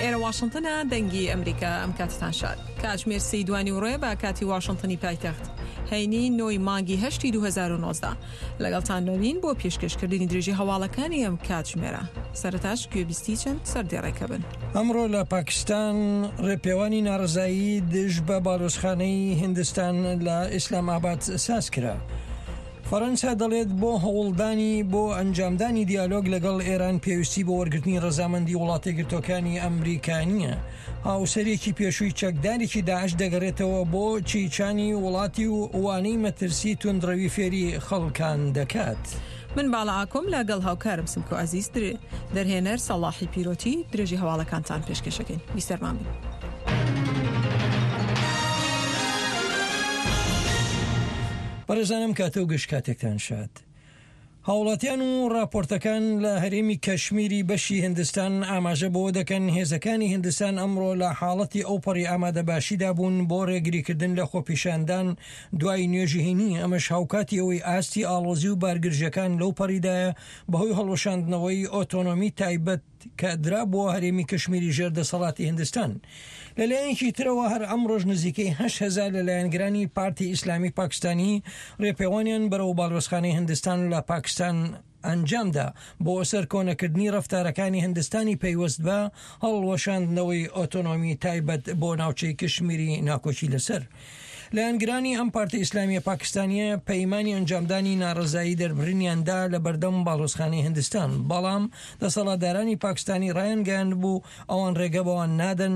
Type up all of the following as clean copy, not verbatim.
ئێرە واشنتنە دەنگی ئەمریکا ئەم کاتتان شاد کاتژمێر سێی دوانی وڕێ بە کاتی واشنتنی پایتەخت هەینی نۆی مانگی هەشتی 2019 لەگەڵتان دەبین بۆ پێشکەشکردنی درێژی هەواڵەکانی ئەم کاتژمێرە سەرەتاش گوێبیستی چەند سەردێڕێکە بن. ئەمڕۆ لە پاکستان ڕێپێوانی ناڕەزایی دژ بە باڵیۆزخانەی هیندستان لە ئیسلام ئاباد ساز کرا. فەرەنسا دەڵێت بۆ هەوڵدانی بۆ ئەنجامدانی دیالۆگ لەگەڵ ئێران پێویستی بۆ وەرگرتنی ڕەزامەندی وڵاتەیەکگرتووەکانی ئەمریکا نییە. هاوسەرێکی پێشووی چەکدارێکی داعش دەگەڕێتەوە بۆ چیچانی وڵاتی و وانەی مەترسی توندڕەوی فێری خەڵکان دەکات. من باڵا ئاکۆم لە گەڵ هاوکارم سمکۆ عەزیز دەرهێنەر سەڵاحی پیرۆتی درێژی هەواڵەکانتان پێشکەشەکەین بیسەرمان بن. بەڕێزانم کاتە و گشت کاتێکتان شاد. هاوڵاتیان و ڕاپۆرتەکان لە هەرێمی کەشمیری بەشی هندستان ئاماژە بەوە دەکەن هێزەکانی هندستان ئەمڕۆ لە حاڵەتی ئەوپەڕی ئامادەباشیدا بوون بۆ ڕێگریکردن لە خۆپیشاندان دوای نوێژی هەینی، ئەمەش هاوکاتی ئەوەی ئاستی ئاڵۆزی و بارگرژیەکان لەو پەڕیدایە بەهۆی هەڵوەشاندنەوەی ئۆتۆنۆمی تایبەت کە درابووە هەرێمی کشمیری ژێر دەسەڵاتی هندستان. لەلایەکی ترەوە هەر ئەمڕۆش نزیکەی 8000 لە لایەنگرانی پارتی ئیسلامی پاکستانی ڕێپێوانیان بەرەو باڵیۆزخانەی هندستان لە پاکستان ئەنجامدا بۆ سەرکۆنەکردنی ڕەفتارەکانی هندستانی پەیوەست بە هەڵوەشاندنەوەی ئۆتۆنۆمی تایبەت بۆ ناوچەی کشمیری ناکۆکی لەسەر. لایەنگرانی ئەم پارتە ئیسلامیە پاکستانیە پەیمانی ئەنجامدانی ناڕەزایی دەربڕینیان دا لە بەردەم باڵۆزخانەی هندستان، بەڵام دەسەڵاتدارانی پاکستانی ڕایانگەیاندبوو ئەوان ڕێگە بەوان نادەن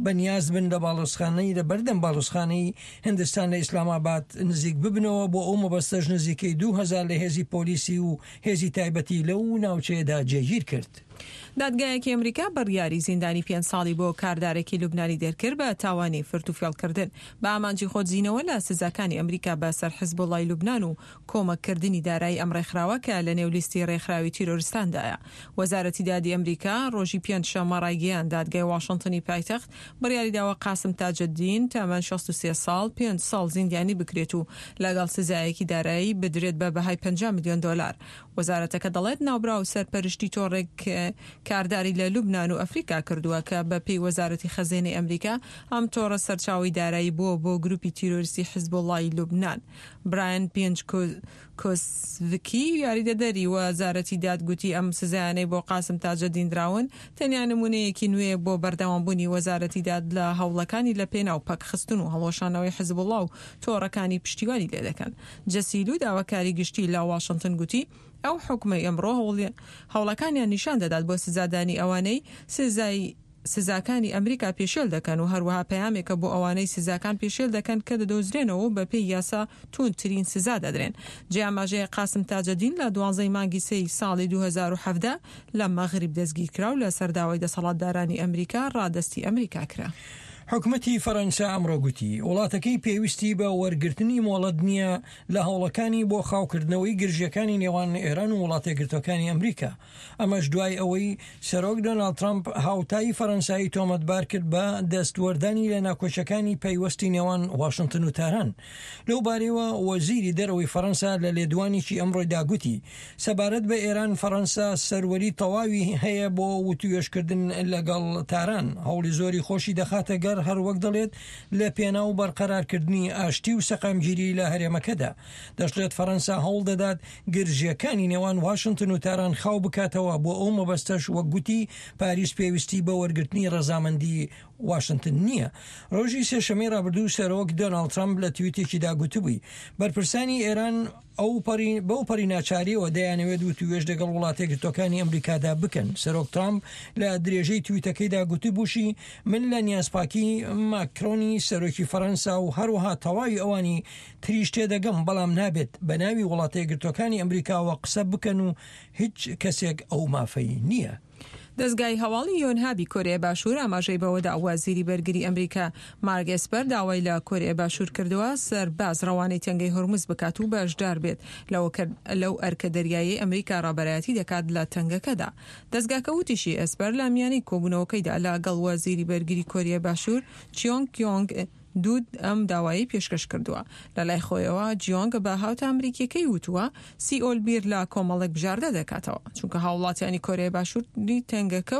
بەنیاز بن لە باڵۆزخانەی لە بەردەم باڵۆزخانەی هندستان لە ئیسلامئاباد نزیک ببنەوە، بۆ ئەو مەبەستەش نزیکەی 2000 لە هێزی پۆلیسی و هێزی تایبەتی لەو ناوچەیەدا جێگیر کرد. دادگایەکی ئەمریکا بڕیاری زیندانی پێنج ساڵی بۆ کاردارێکی لوبنانی دەرکرد بە تاوانی فرتوفێڵکردن بە ئامانجی خۆدزینەوە لە سزاکانی ئەمریکا بە سەر حزبوڵای لوبنان و کۆمەککردنی دارایی ئەم ڕێکخراوە کە لە نێو لیستی ڕێکخراوی تیرۆرستاندایە. وەزارەتی دادی ئەمریکا ڕۆژی پێنجشەممە ڕایگەیاند دادگای واشنتنی پایتەخت بڕیاریداوە قاسم تاجەدین تەمەن 63 ساڵ پێنج ساڵ زیندانی بکرێت و لەگەڵ سزایەکی دارایی بدرێت بە بەهای 50 ملیۆن دۆلار. وەزارەتەکە دەڵێت ناوبراو سەرپەرشتی تۆڕێک کارداری لە لوبنان و ئەفریکا کردووە کە بە پێی وەزارەتی خەزێنەی ئەمریکا ئەم تۆڕە سەرچاوەی دارایی بووە بۆ گروپی تیرۆریستی حزبوڵای لوبنان. برایان پێنجکۆسڤکی یاریدەدەری وەزارەتی داد گوتی ئەم سزایانەی بۆ قاسم تاجەدین دراون تەنیا نمونەیەکی نوێیە بۆ بەردەوامبوونی وەزارەتی داد لە هەوڵەکانی لە پێناو پەکخستن و هەڵوەشانەوەی حزبوڵا و تۆڕەکانی پشتیوانی لێدەکەن. جەسی لو داواکاری گشتی لە واشنتن گوتی، ئەو حوکمەی ئەمڕۆ هەوڵەکانیان نیشان دەدات بۆ سزادانی ئەوانەی سزای سزاکانی ئەمریکا پێشێل دەکەن و هەروەها پەیامێکە بۆ ئەوانەی سزاکان پێشێل دەکەن کە دەدۆزرێنەوە و بەپێی یاسا تووندترین سزا دەدرێن. جێی ئاماژەیە قاسم تاجەدین لە دوانزەی مانگی سێی ساڵی 2017 لە مەغریب دەستگیرکرا و لەسەر داوای دەسەڵاتدارانی ئەمریکا ڕادەستی ئەمریکا کرا. حکومەتی فەرەنسا ئەمڕۆ گوتی، وڵاتەکەی پێویستی بە وەرگرتنی مۆڵەت نییە لە هەوڵەکانی بۆ خاوکردنەوەی گرژییەکانی نێوان ئێران و وڵاتەیەکگرتووەکانی ئەمریکا، ئەمەش دوای ئەوەی سەرۆک دۆناڵد ترەمپ هاوتای فەرەنسایی تۆمەتبار کرد بە دەستوەردانی لە ناکۆکیەکانی پەیوەستی نێوان واشنتن و تاران. لەو بارەیەوە وەزیری دەرەوەی فەرەنسا لە لێدوانێکی ئەمڕۆیدا گوتی، سەبارەت بە ئێران، فەرەنسا سەروەری تەواوی هەیە بۆ وتووێژکردن لەگەڵ تاران، هەوڵی زۆری خۆشی دەخاتە گەڕ، هەروەک دەڵێت لە پێناو بەرقەرارکردنی ئاشتی و سەقامگیری لە هەرێمەکەدا. دەشڵێت فەرەنسا هەوڵ دەدات گرژییەکانی نێوان واشنتن و تاران خاو بکاتەوە، بۆ ئەو مەبەستەش وەک گوتی پاریس پێویستی بە وەرگرتنی ڕەزامەندی واشنتن نییە. ڕۆژی سێشەممەی ڕابردوو سەرۆک دۆناڵد ترەمپ لە تویتێکیدا گوتبووی بەرپرسانی ئێران ئەوپەڕی بەوپەڕی ناچارییەوە دەیانەوێت وتووێژ لەگەڵ وڵاتەیەکگرتووەکانی ئەمریکادا بکەن. سەرۆک ترامپ لە درێژەی تویتەکەیدا گوتبووشی، من لە نیازپاکی ماکرۆنی سەرۆکی فەرەنسا و هەروەها تەواوی ئەوانی تریش تێدەگەم، بەڵام نابێت بە ناوی وڵاتەیەکگرتووەکانی ئەمریکاوە قسە بکەن و هیچ کەسێک ئەو مافەی نییە. دەزگای هەواڵی یۆنهابی کۆریای باشوور ئاماژەی بەوەدا، وەزیری بەرگری ئەمریکا مارک ئێسپەر داوای لە کۆریای باشوور کردووە سەرباز ڕەوانەی تەنگەی هورمز بکات و بەشدار بێت لەو ئەرکە دەریاییەی ئەمریکا ڕابەرایەتی دەکات لە تەنگەکەدا. دەزگاکە وتیشی، ئێسپەر لە میانەی کۆبوونەوەکەیدا لەگەڵ وەزیری بەرگری کۆریای باشوور چیۆنگ کیۆنگ دوود ئەم داوایەی پێشکەش کردووە. لە لای خۆیەوە جیۆنگ بە هاوتا ئەمریکییەکەی وتووە، سیئۆل بیر لە کۆمەڵێک بژاردە دەکاتەوە، چونکە هاووڵاتیانی کۆریای باشووری تەنگەکە و.